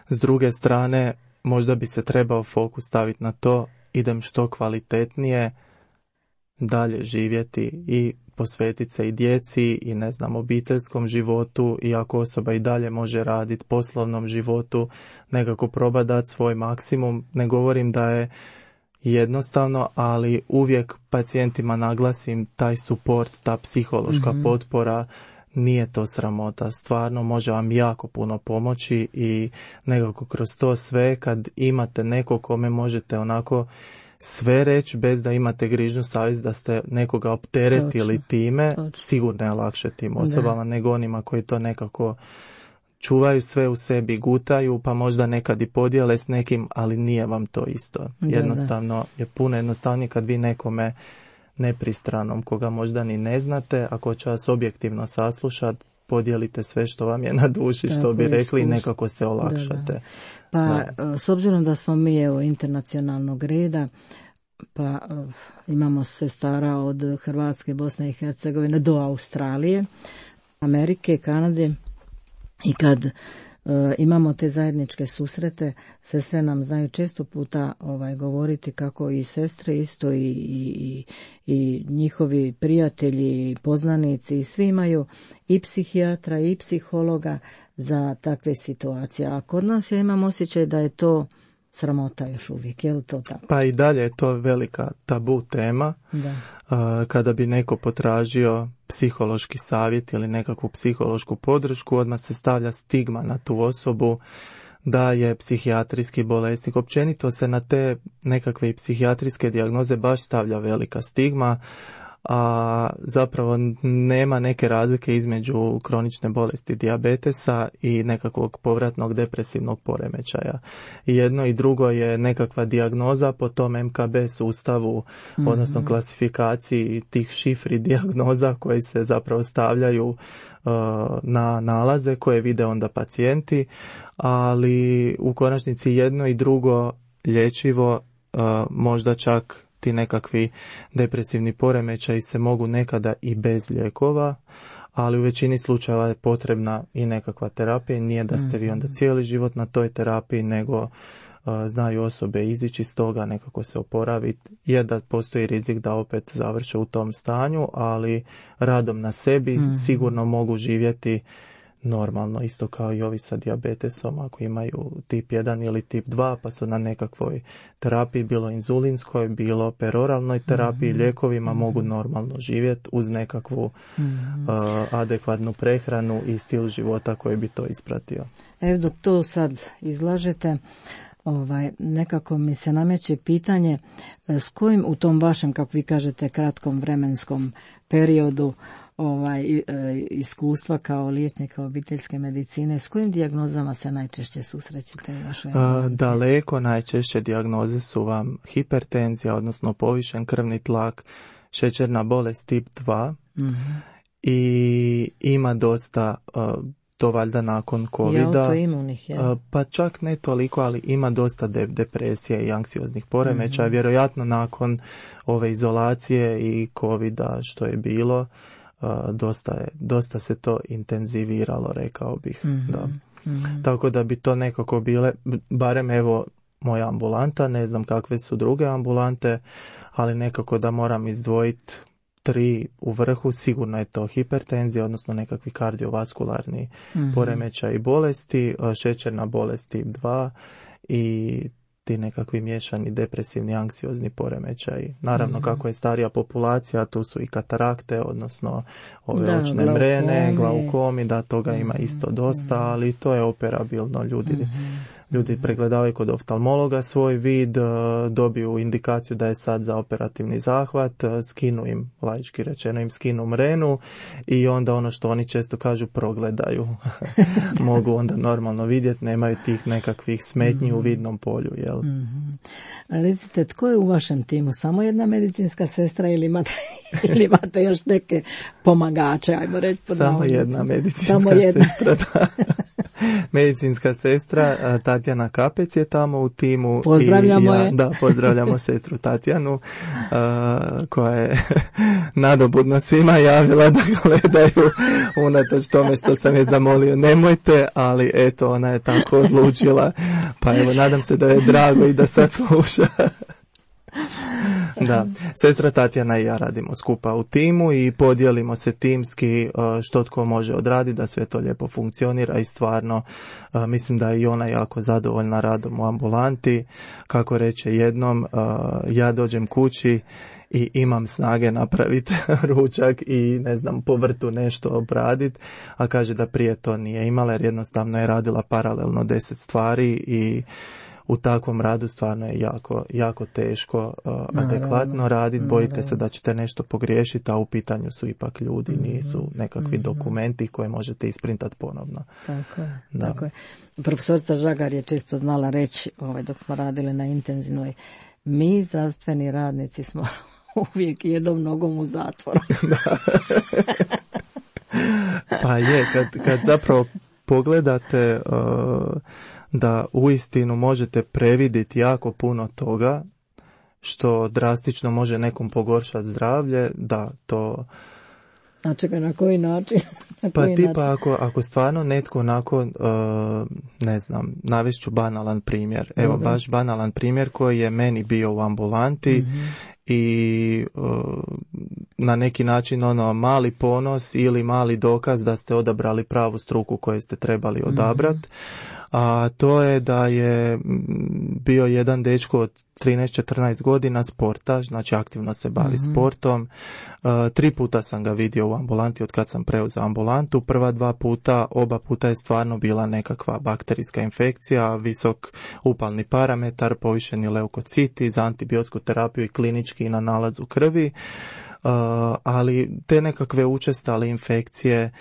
s druge strane možda bi se trebao fokus staviti na to, idem što kvalitetnije dalje živjeti i posvetiti se i djeci i ne znam obiteljskom životu, i ako osoba i dalje može raditi poslovnom životu, nekako proba dati svoj maksimum. Ne govorim da je jednostavno, ali uvijek pacijentima naglasim taj suport, ta psihološka mm-hmm. potpora, nije to sramota, stvarno može vam jako puno pomoći i nekako kroz to sve kad imate nekog kome možete onako sve reći bez da imate grižnju savjest da ste nekoga opteretili točno, time, točno. Sigurno je lakše tim osobama da. Nego onima koji to nekako čuvaju sve u sebi, gutaju, pa možda nekad i podijele s nekim, ali nije vam to isto. Da, jednostavno da. Je puno jednostavnije kad vi nekome nepristranom, koga možda ni ne znate, ako će vas objektivno saslušati, podijelite sve što vam je na duši, tako što bi rekli, i nekako se olakšate. Da, da. Pa da. S obzirom da smo mi evo internacionalnog reda, pa uh, imamo sestara od Hrvatske, Bosne i Hercegovine do Australije, Amerike, Kanade, i kad uh, imamo te zajedničke susrete, sestre nam znaju često puta ovaj, govoriti kako i sestre isto i, i, i njihovi prijatelji, poznanici i svi imaju i psihijatra i psihologa za takve situacije. A kod nas ja imam osjećaj da je to sramota još uvijek, je li to tako? Pa i dalje je to velika tabu tema. Da. Uh, kada bi neko potražio psihološki savjet ili nekakvu psihološku podršku, odmah se stavlja stigma na tu osobu da je psihijatrijski bolesnik. Općenito se na te nekakve psihijatrijske dijagnoze baš stavlja velika stigma, a zapravo nema neke razlike između kronične bolesti dijabetesa i nekakvog povratnog depresivnog poremećaja. I jedno i drugo je nekakva dijagnoza po tom em ka be sustavu, mm-hmm. odnosno klasifikaciji tih šifri dijagnoza koji se zapravo stavljaju uh, na nalaze koje vide onda pacijenti, ali u konačnici jedno i drugo lječivo, uh, možda čak ti nekakvi depresivni poremećaji se mogu nekada i bez lijekova, ali u većini slučajeva je potrebna i nekakva terapija. Nije da ste vi onda cijeli život na toj terapiji, nego uh, znaju osobe izići iz toga, nekako se oporaviti. Je da postoji rizik da opet završe u tom stanju, ali radom na sebi mm-hmm. sigurno mogu živjeti normalno, isto kao i ovi sa dijabetesom, ako imaju tip jedan ili tip dva, pa su na nekakvoj terapiji, bilo inzulinskoj, bilo peroralnoj terapiji, mm-hmm. lijekovima, mm-hmm. mogu normalno živjeti uz nekakvu mm-hmm. uh, adekvatnu prehranu i stil života koji bi to ispratio. Evo dok to sad izlažete, ovaj, nekako mi se nameće pitanje s kojim u tom vašem, kako vi kažete, kratkom vremenskom periodu ovaj iskustva kao liječnika obiteljske medicine, s kojim dijagnozama se najčešće susrećete u vašoj ambulantiji? Daleko najčešće dijagnoze su vam hipertenzija, odnosno povišen krvni tlak, šećerna bolest tip dva mm-hmm. i ima dosta, to valjda nakon covida, autoimunih, ja. Pa čak ne toliko, ali ima dosta de- depresije i anksioznih poremećaja, mm-hmm. vjerojatno nakon ove izolacije i covida što je bilo. Uh, dosta, je, dosta se to intenziviralo, rekao bih. Mm-hmm. Da. Mm-hmm. Tako da bi to nekako bile, barem evo moja ambulanta, ne znam kakve su druge ambulante, ali nekako da moram izdvojiti tri u vrhu, sigurno je to hipertenzija, odnosno nekakvi kardiovaskularni mm-hmm. poremećaj i bolesti, šećerna bolest tip dva i ti nekakvi miješani depresivni, anksiozni poremećaji. Naravno, mm-hmm. kako je starija populacija, tu su i katarakte, odnosno ove da, očne glaukomi. mrene, glaukomi, da toga mm-hmm. ima isto dosta, ali to je operabilno. Ljudi, mm-hmm. ljudi pregledavaju kod oftalmologa svoj vid, dobiju indikaciju da je sad za operativni zahvat, skinu im, laički rečeno, im skinu mrenu i onda ono što oni često kažu progledaju. Mogu onda normalno vidjeti, nemaju tih nekakvih smetnji mm-hmm. u vidnom polju, jel? Mm-hmm. Recite, tko je u vašem timu? Samo jedna medicinska sestra ili imate, ili imate još neke pomagače, ajmo reći? Samo jedna medicinska Samo jedna. sestra, da. Medicinska sestra Tatjana Kapec je tamo u timu. Pozdravljamo i ja, je. Da, pozdravljamo sestru Tatjanu, uh, koja je nadobudno svima javila da gledaju, unatoč tome što sam je zamolio nemojte, ali eto, ona je tako odlučila, pa evo, nadam se da je drago i da sad sluša. Da, sestra Tatjana i ja radimo skupa u timu i podijelimo se timski što tko može odraditi da sve to lijepo funkcionira i stvarno mislim da je i ona jako zadovoljna radom u ambulanti. Kako reče jednom, ja dođem kući i imam snage napraviti ručak i ne znam, po vrtu nešto obraditi, a kaže da prije to nije imala jer jednostavno je radila paralelno deset stvari i u takvom radu stvarno je jako, jako teško uh, adekvatno raditi, bojite se da ćete nešto pogriješiti, a u pitanju su ipak ljudi, nisu nekakvi mm-hmm. dokumenti koje možete isprintati ponovno. Tako je, da. tako je. Profesorica Žagar je često znala reći, ovaj, dok smo radili na intenzivnoj, mi zdravstveni radnici smo uvijek jednom nogom u zatvoru. Pa je, kad, kad zapravo pogledate uh, da uistinu možete previdjeti jako puno toga što drastično može nekom pogoršati zdravlje, da to... A čekaj, na koji način? Na pa koji tipa način? Ako, ako stvarno netko onako, uh, ne znam, navešću banalan primjer. Evo, Dobre. baš banalan primjer koji je meni bio u ambulanti mm-hmm. i uh, na neki način ono mali ponos ili mali dokaz da ste odabrali pravu struku koju ste trebali odabrati. Mm-hmm. A to je da je bio jedan dečko od trinaest četrnaest godina sportaš, znači aktivno se bavi mm-hmm. sportom. Uh, tri puta sam ga vidio u ambulanti od kad sam preuzeo ambulantu. Prva dva puta, oba puta je stvarno bila nekakva bakterijska infekcija, visok upalni parametar, povišeni leukociti, za antibiotsku terapiju i klinički na nalazu krvi. ali te nekakve učestale infekcije,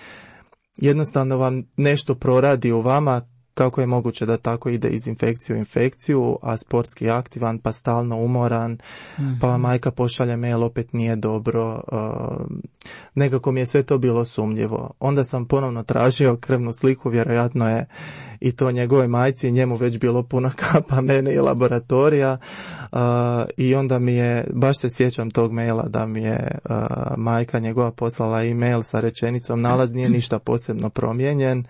jednostavno vam nešto proradi u vama. Kako je moguće da tako ide iz infekciju u infekciju, a sportski aktivan, pa stalno umoran, mm-hmm. pa majka pošalje mail, opet nije dobro. Uh, nekako mi je sve to bilo sumnjivo. Onda sam ponovno tražio krvnu sliku, vjerojatno je i to njegove majci, njemu već bilo puna kapa, mene i laboratorija. Uh, I onda mi je, baš se sjećam tog maila da mi je uh, majka njegova poslala e-mail sa rečenicom: nalaz nije ništa posebno promijenjen,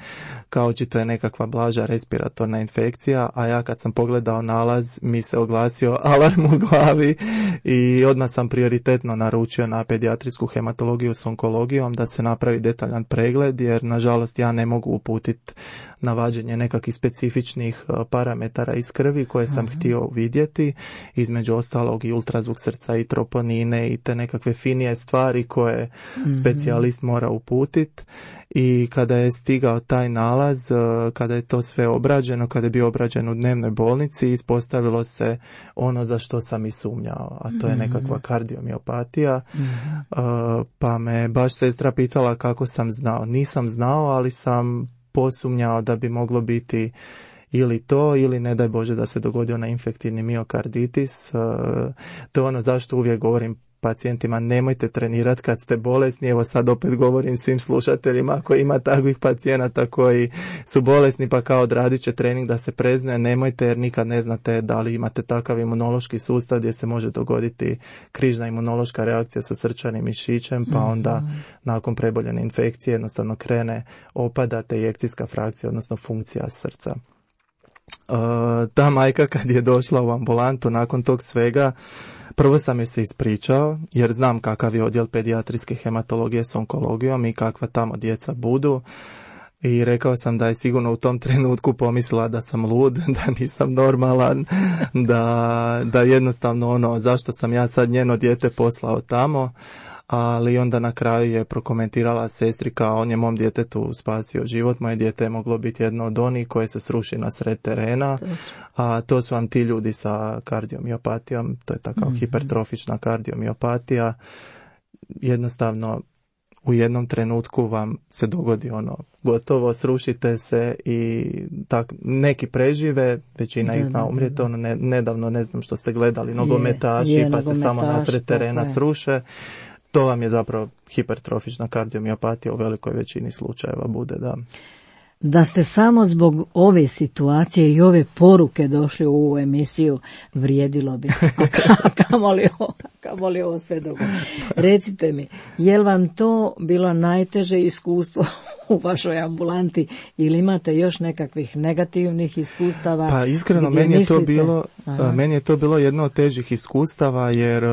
kao očito je nekakva blaža respiratorna infekcija, a ja kad sam pogledao nalaz mi se oglasio alarm u glavi i odmah sam prioritetno naručio na pedijatrijsku hematologiju s onkologijom da se napravi detaljan pregled, jer nažalost ja ne mogu uputiti na vađenje nekakvih specifičnih parametara iz krvi koje sam Aha. htio vidjeti, između ostalog i ultrazvuk srca i troponine i te nekakve finije stvari koje mm-hmm. specijalist mora uputiti. I kada je stigao taj nalaz, kada je to sve obrađeno, kada je bio obrađen u dnevnoj bolnici, ispostavilo se ono za što sam i sumnjao, a to je nekakva kardiomiopatija. Mm-hmm. Pa me baš sestra pitala kako sam znao. Nisam znao, ali sam posumnjao da bi moglo biti ili to, ili ne daj Bože da se dogodio na infektivni miokarditis. To je ono zašto uvijek govorim pacijentima: nemojte trenirati kad ste bolesni. Evo sad opet govorim svim slušateljima, ako ima takvih pacijenata koji su bolesni pa kao odradit će trening da se preznuje, nemojte, jer nikad ne znate da li imate takav imunološki sustav gdje se može dogoditi križna imunološka reakcija sa srčanim mišićem, pa onda mm-hmm. nakon preboljene infekcije jednostavno krene opadate ejekcijska frakcija, odnosno funkcija srca. Uh, ta majka kad je došla u ambulantu nakon tog svega, prvo sam joj se ispričao, jer znam kakav je odjel pedijatrijske hematologije s onkologijom i kakva tamo djeca budu. I rekao sam da je sigurno u tom trenutku pomislila da sam lud, da nisam normalan, da, da jednostavno ono, zašto sam ja sad njeno dijete poslao tamo. Ali onda na kraju je prokomentirala sestri kao: on je mom djetetu spasio život, moje dijete je moglo biti jedno od onih koje se sruši na sred terena, a to su vam ti ljudi sa kardiomiopatijom, to je takav mm-hmm. hipertrofična kardiomiopatija. Jednostavno u jednom trenutku vam se dogodi ono, gotovo, srušite se i tak, neki prežive, većina ih zna umrijeti. Ono, ne, nedavno, ne znam što ste gledali, nogometaši, je, je, pa nogometaš, se samo na sred terena sruše. To vam je zapravo hipertrofična kardiomiopatija u velikoj većini slučajeva bude, da. Da ste samo zbog ove situacije i ove poruke došli u ovu emisiju, vrijedilo bi. A kamoli ovo, kamoli ovo sve drugo. Recite mi, je li vam to bilo najteže iskustvo u vašoj ambulanti ili imate još nekakvih negativnih iskustava? Pa iskreno, meni je, to bilo, meni je to bilo jedno od težih iskustava, jer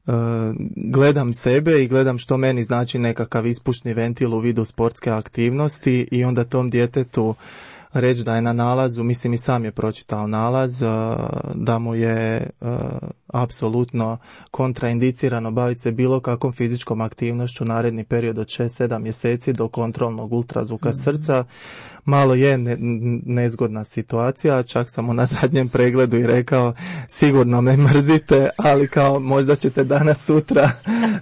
Uh, gledam sebe i gledam što meni znači nekakav ispušni ventil u vidu sportske aktivnosti i onda tom djetetu reći da je na nalazu, mislim i sam je pročitao nalaz, uh, da mu je uh, apsolutno kontraindicirano baviti se bilo kakvom fizičkom aktivnošću naredni period od šest sedam mjeseci do kontrolnog ultrazvuka mm-hmm. srca. Malo je ne, nezgodna situacija, čak sam mu na zadnjem pregledu i rekao: sigurno me mrzite, ali kao možda ćete danas sutra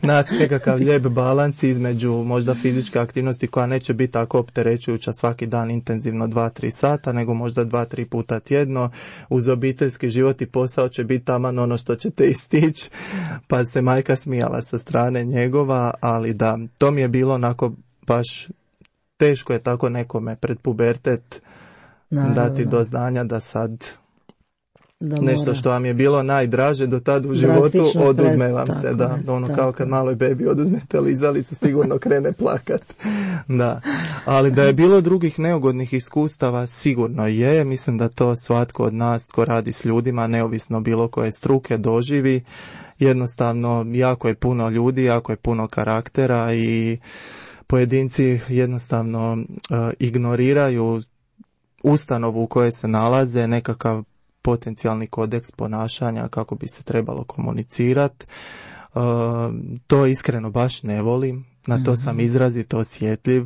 naći nekakav lijep balans između možda fizičke aktivnosti koja neće biti tako opterećujuća svaki dan intenzivno dva tri sata, nego možda dva tri puta tjedno. Uz obiteljski život i posao će biti taman ono što ćete istići. Pa se majka smijala sa strane njegova, ali da, to mi je bilo onako baš teško je tako nekome pred pubertet Naravno. dati do znanja da sad da nešto što vam je bilo najdraže do tad u životu oduzme vam se, da, ono tako. Kao kad maloj bebi oduzmete lizalicu, sigurno krene plakat. Da. Ali da je bilo drugih neugodnih iskustava, sigurno je. Mislim da to svatko od nas tko radi s ljudima, neovisno bilo koje struke, doživi. Jednostavno, jako je puno ljudi, jako je puno karaktera i pojedinci jednostavno uh, ignoriraju ustanovu u kojoj se nalaze, nekakav potencijalni kodeks ponašanja kako bi se trebalo komunicirati. Uh, to iskreno baš ne volim, Na to sam izrazito osjetljiv.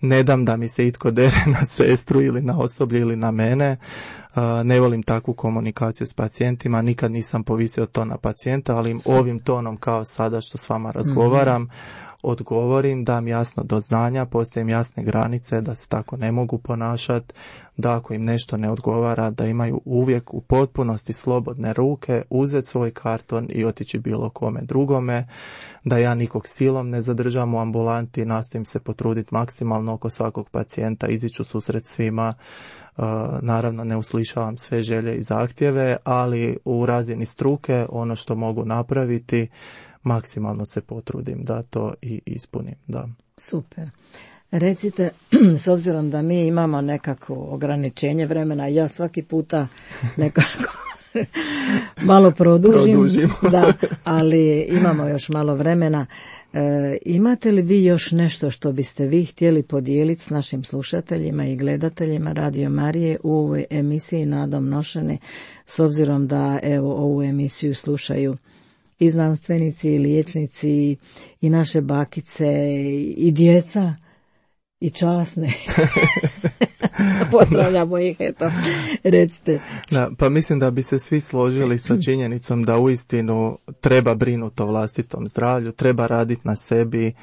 Ne dam da mi se itko dere na sestru ili na osoblje ili na mene. Ne volim takvu komunikaciju s pacijentima. Nikad nisam povisio to na pacijenta, ali im ovim tonom kao sada što s vama razgovaram, odgovorim, dam jasno do znanja, postavim jasne granice da se tako ne mogu ponašati, da ako im nešto ne odgovara, da imaju uvijek u potpunosti slobodne ruke, uzeti svoj karton i otići bilo kome drugome, da ja nikog silom ne zadržam u ambulanti, nastojim se potruditi maksimalno oko svakog pacijenta, iziću susret svima, uh, naravno ne uslišavam sve želje i zahtjeve, ali u razini struke ono što mogu napraviti, maksimalno se potrudim da to i ispunim, da. Super. Recite, s obzirom da mi imamo nekako ograničenje vremena, ja svaki puta nekako malo produžim, produžim. Da, ali imamo još malo vremena. E, imate li vi još nešto što biste vi htjeli podijeliti s našim slušateljima i gledateljima Radio Marije u ovoj emisiji Nadom nošene, s obzirom da evo ovu emisiju slušaju i znanstvenici, i liječnici, i naše bakice, i djeca, i časne. Pozdravljamo ih, eto, recite. Da, pa mislim da bi se svi složili sa činjenicom da uistinu treba brinuti o vlastitom zdravlju, treba raditi na sebi,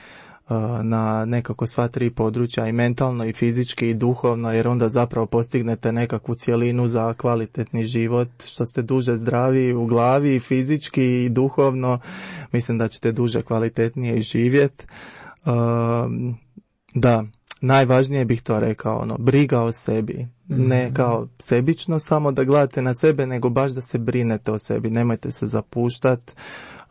na nekako sva tri područja, i mentalno, i fizički, i duhovno, jer onda zapravo postignete nekakvu cjelinu za kvalitetni život, što ste duže zdravi u glavi, i fizički, i duhovno, mislim da ćete duže kvalitetnije i živjeti. Da, najvažnije bih to rekao, ono, briga o sebi, ne kao sebično samo da gledate na sebe, nego baš da se brinete o sebi, nemojte se zapuštati,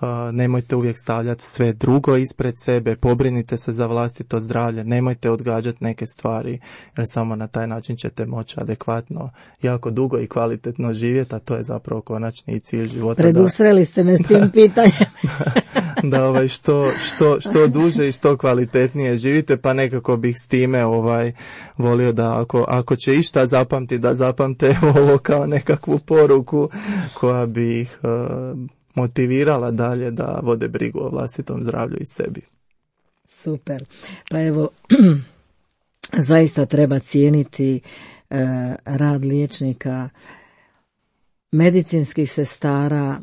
Uh, nemojte uvijek stavljati sve drugo ispred sebe, pobrinite se za vlastito zdravlje, nemojte odgađati neke stvari, jer samo na taj način ćete moći adekvatno, jako dugo i kvalitetno živjeti, a to je zapravo konačni cilj života. Predusreli da, ste me s tim pitanjem. da, da ovaj, što, što, što duže i što kvalitetnije živite, pa nekako bih s time ovaj, volio da ako, ako će išta zapamti, da zapamte ovo kao nekakvu poruku koja bi ih uh, motivirala dalje da vode brigu o vlastitom zdravlju i sebi. Super. Pa evo, zaista treba cijeniti e, rad liječnika, medicinskih sestara,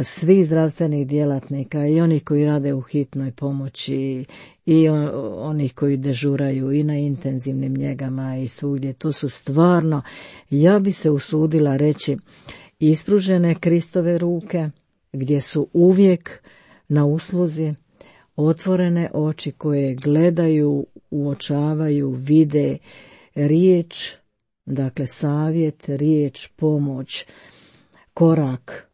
svih zdravstvenih djelatnika, i onih koji rade u hitnoj pomoći, i on, onih koji dežuraju i na intenzivnim njegama i svugdje. To su stvarno, ja bi se usudila reći, ispružene Kristove ruke, gdje su uvijek na usluzi, otvorene oči koje gledaju, uočavaju, vide, riječ, dakle savjet, riječ, pomoć, korak.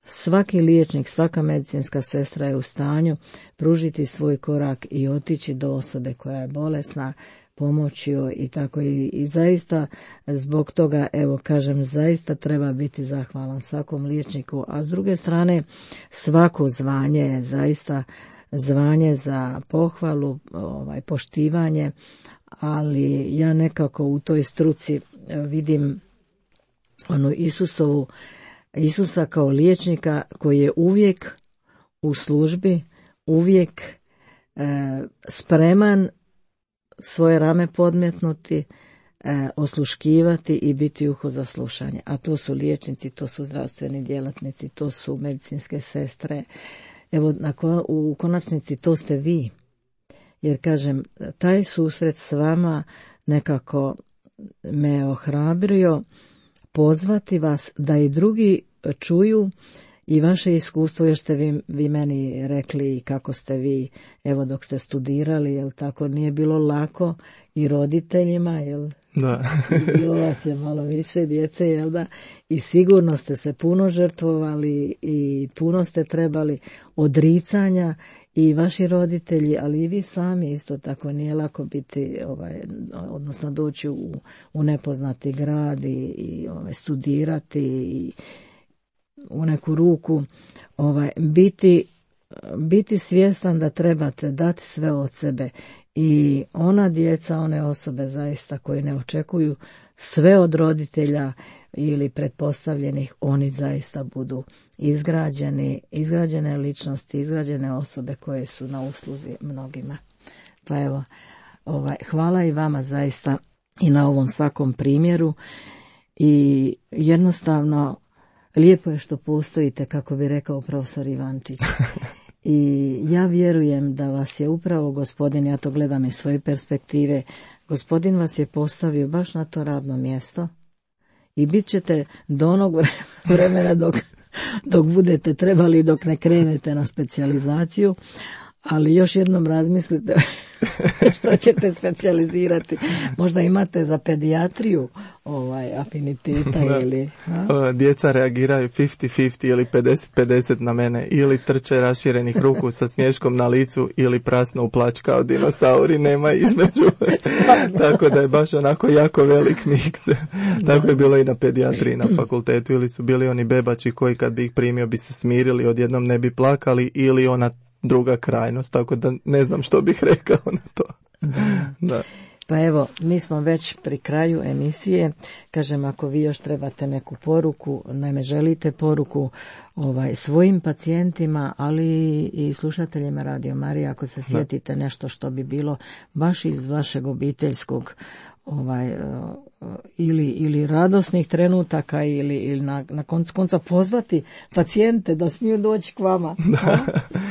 Svaki liječnik, svaka medicinska sestra je u stanju pružiti svoj korak i otići do osobe koja je bolesna, pomoći joj i tako i, i zaista zbog toga, evo kažem, zaista treba biti zahvalan svakom liječniku, a s druge strane svako zvanje je zaista zvanje za pohvalu, ovaj, poštivanje, ali ja nekako u toj struci vidim onu Isusovu, Isusa kao liječnika koji je uvijek u službi, uvijek e, spreman svoje rame podmetnuti, e, osluškivati i biti uho za slušanje. A to su liječnici, to su zdravstveni djelatnici, to su medicinske sestre. Evo, na ko, u konačnici to ste vi. Jer kažem, taj susret s vama nekako me ohrabrio pozvati vas da i drugi čuju i vaše iskustvo, jer ste vi, vi meni rekli kako ste vi, evo dok ste studirali, jel tako, nije bilo lako i roditeljima, jel? Da. Bilo vas je malo više djece, jel da? I sigurno ste se puno žrtvovali i puno ste trebali odricanja, i vaši roditelji, ali i vi sami isto tako, nije lako biti, ovaj, odnosno doći u, u nepoznati grad i, i ovaj, studirati i u neku ruku, ovaj, biti, biti svjestan da trebate dati sve od sebe. I ona djeca, one osobe zaista koje ne očekuju sve od roditelja, ili pretpostavljenih, oni zaista budu izgrađeni, izgrađene ličnosti, izgrađene osobe koje su na usluzi mnogima. Pa evo, ovaj, hvala i vama zaista i na ovom svakom primjeru i jednostavno lijepo je što postojite, kako bi rekao profesor Ivančić. I ja vjerujem da vas je upravo gospodin, ja to gledam iz svoje perspektive, gospodin vas je postavio baš na to radno mjesto i bit ćete do onog vremena dok, dok budete trebali, dok ne krenete na specijalizaciju, ali još jednom razmislite što ćete specijalizirati. Možda imate za pedijatriju ovaj afiniteta ili... A? Djeca reagiraju pedeset pedeset ili pedeset pedeset na mene, ili trče raširenih ruku sa smješkom na licu ili prasno u plać kao dinosauri, nema između. Tako da je baš onako jako velik miks. Tako je bilo i na pedijatriji na fakultetu, ili su bili oni bebači koji kad bi ih primio bi se smirili, odjednom ne bi plakali, ili ona druga krajnost, tako da ne znam što bih rekao na to. Da. Da. Pa evo, mi smo već pri kraju emisije. Kažem, ako vi još trebate neku poruku, naime želite poruku ovaj, svojim pacijentima, ali i slušateljima Radio Marije, ako se sjetite nešto što bi bilo baš iz vašeg obiteljskog ovaj ili ili radosnih trenutaka ili ili na na koncu konca pozvati pacijente da smiju doći k vama.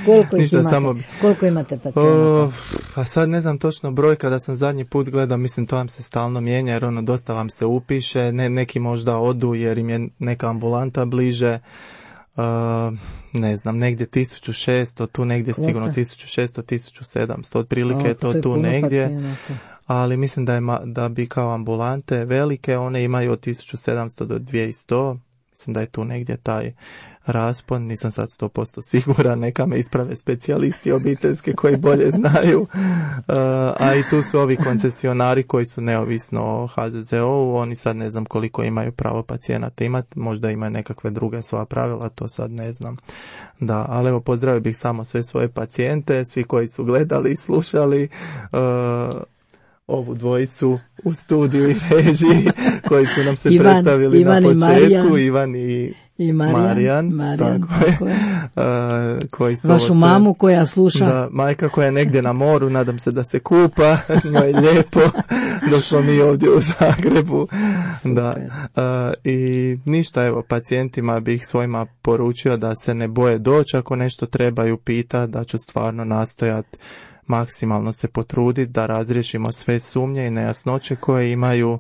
Koliko ih imate? Samo... Koliko imate pacijenata? Pa sad ne znam točno broj, kada sam zadnji put gledao, mislim to vam se stalno mijenja jer ono dosta vam se upiše, ne, neki možda odu jer im je neka ambulanta bliže. Uh, ne znam, negdje tisuću šesto, tu negdje Koliko? Sigurno tisuću šesto, tisuću sedamsto, otprilike je to, to je tu negdje. Pacijenata. Ali mislim da, je, da bi kao ambulante velike, one imaju od tisuću sedamsto do dvjesto, mislim da je tu negdje taj raspon, nisam sad sto posto siguran, neka me isprave specijalisti obiteljske koji bolje znaju, uh, a i tu su ovi koncesionari koji su neovisno o H Z Z O-u, oni sad ne znam koliko imaju pravo pacijenata imati, možda imaju nekakve druge svoja pravila, to sad ne znam. Da, ali evo pozdravio bih samo sve svoje pacijente, svi koji su gledali i slušali, uh, ovu dvojicu u studiju i režiji koji su nam se Ivan, predstavili Ivan na početku, i Ivan i, i Marijan, Marijan, Marijan tako tako je. Uh, koji su vašu mamu koja sluša. Da, majka koja je negdje na moru, nadam se da se kupa, njoj je lijepo, dok smo mi ovdje u Zagrebu. Da. Uh, I ništa, evo, pacijentima bih svojima poručio da se ne boje doći, ako nešto trebaju pitati, da ću stvarno nastojati maksimalno se potruditi da razriješimo sve sumnje i nejasnoće koje imaju,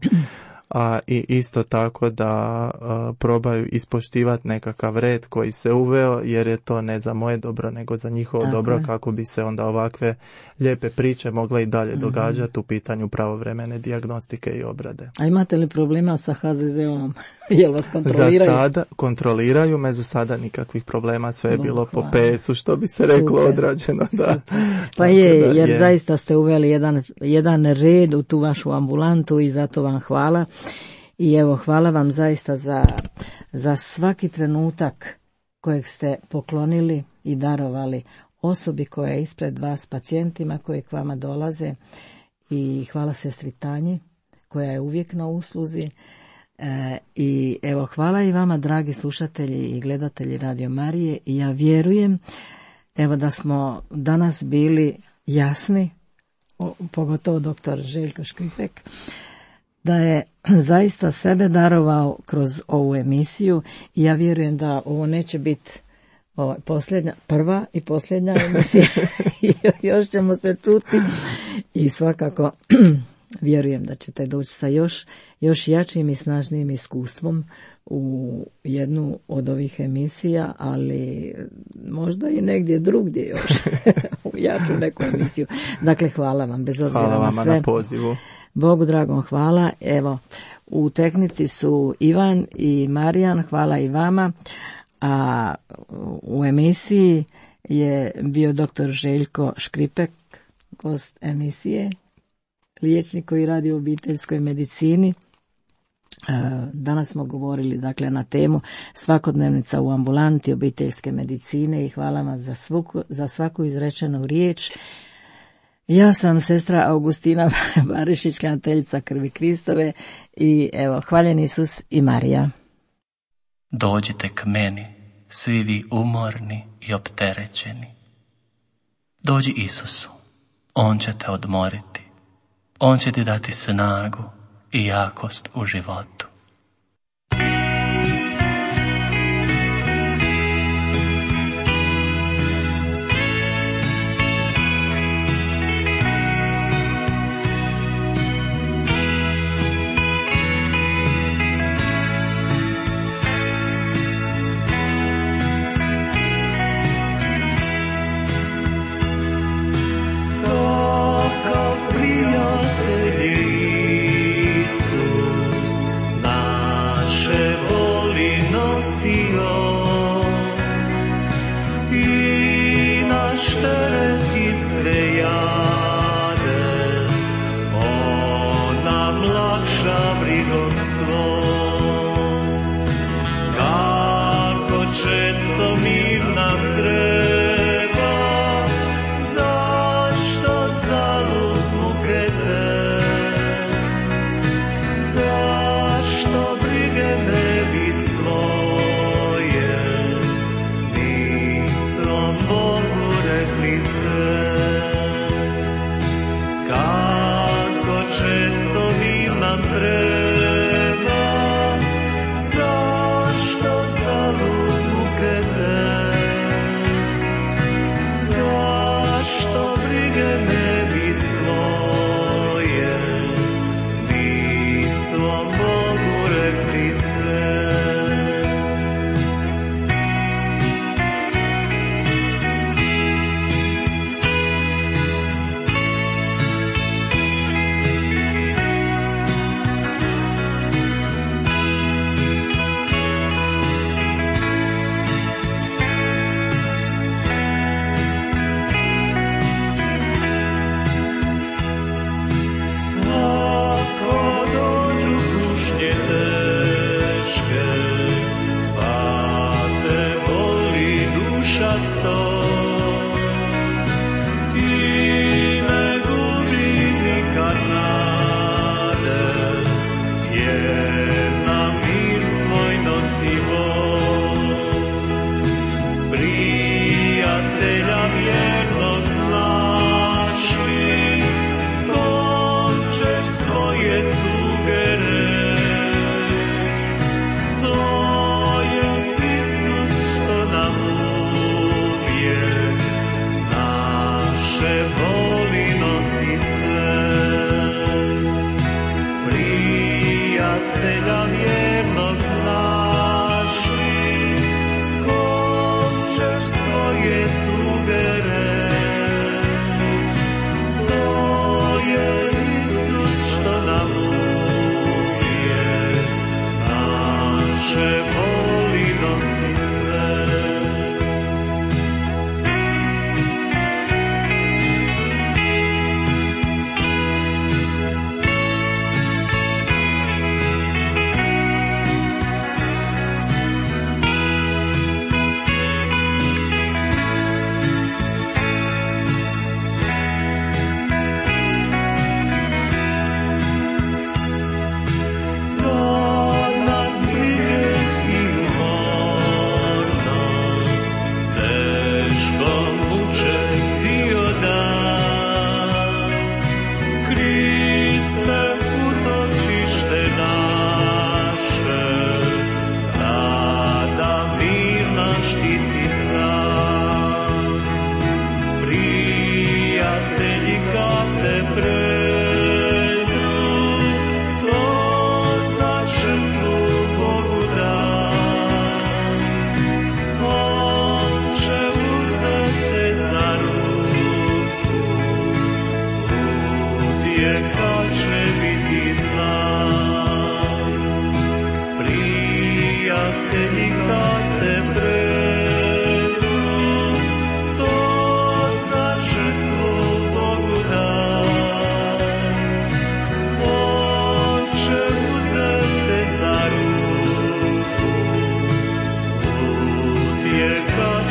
a i isto tako da a, probaju ispoštivati nekakav red koji se uveo, jer je to ne za moje dobro nego za njihovo tako dobro je. Kako bi se onda ovakve lijepe priče mogle i dalje mm-hmm. događati u pitanju pravovremene dijagnostike i obrade. A imate li problema sa H Z Z O-om? Jel vas kontroliraju? Za sada kontroliraju me, za sada nikakvih problema, sve je bilo po P S-u, što bi se reklo, super, odrađeno. Da. Pa je, da, jer je. Zaista ste uveli jedan, jedan red u tu vašu ambulantu i zato vam hvala. I evo, hvala vam zaista za, za svaki trenutak kojeg ste poklonili i darovali osobi koja je ispred vas, pacijentima koji k vama dolaze, i hvala sestri Tanji koja je uvijek na usluzi. E, i evo, hvala i vama, dragi slušatelji i gledatelji Radio Marije, i ja vjerujem evo da smo danas bili jasni, o, pogotovo doktor Željko Škripek, da je zaista sebe darovao kroz ovu emisiju, i ja vjerujem da ovo neće biti ovo, posljednja, prva i posljednja emisija. Još ćemo se čuti i svakako vjerujem da ćete doći sa još, još jačim i snažnijim iskustvom u jednu od ovih emisija, ali možda i negdje drugdje još u jaču neku emisiju. Dakle, hvala vam bez obzira hvala na vama sve. Na pozivu. Bogu dragom hvala. Evo, u tehnici su Ivan i Marijan, hvala i vama. A u emisiji je bio doktor Željko Škripek, gost emisije, liječnik koji radi u obiteljskoj medicini. Danas smo govorili dakle na temu svakodnevnica u ambulanti obiteljske medicine, i hvala vam za svaku, za svaku izrečenu riječ. Ja sam sestra Augustina Barišić, klanjateljica Krvi Kristove i evo, hvaljen Isus i Marija. Dođite k meni, svi vi umorni i opterećeni. Dođi Isusu, On će te odmoriti. On će ti dati snagu i jakost u životu.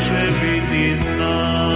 Će biti znak.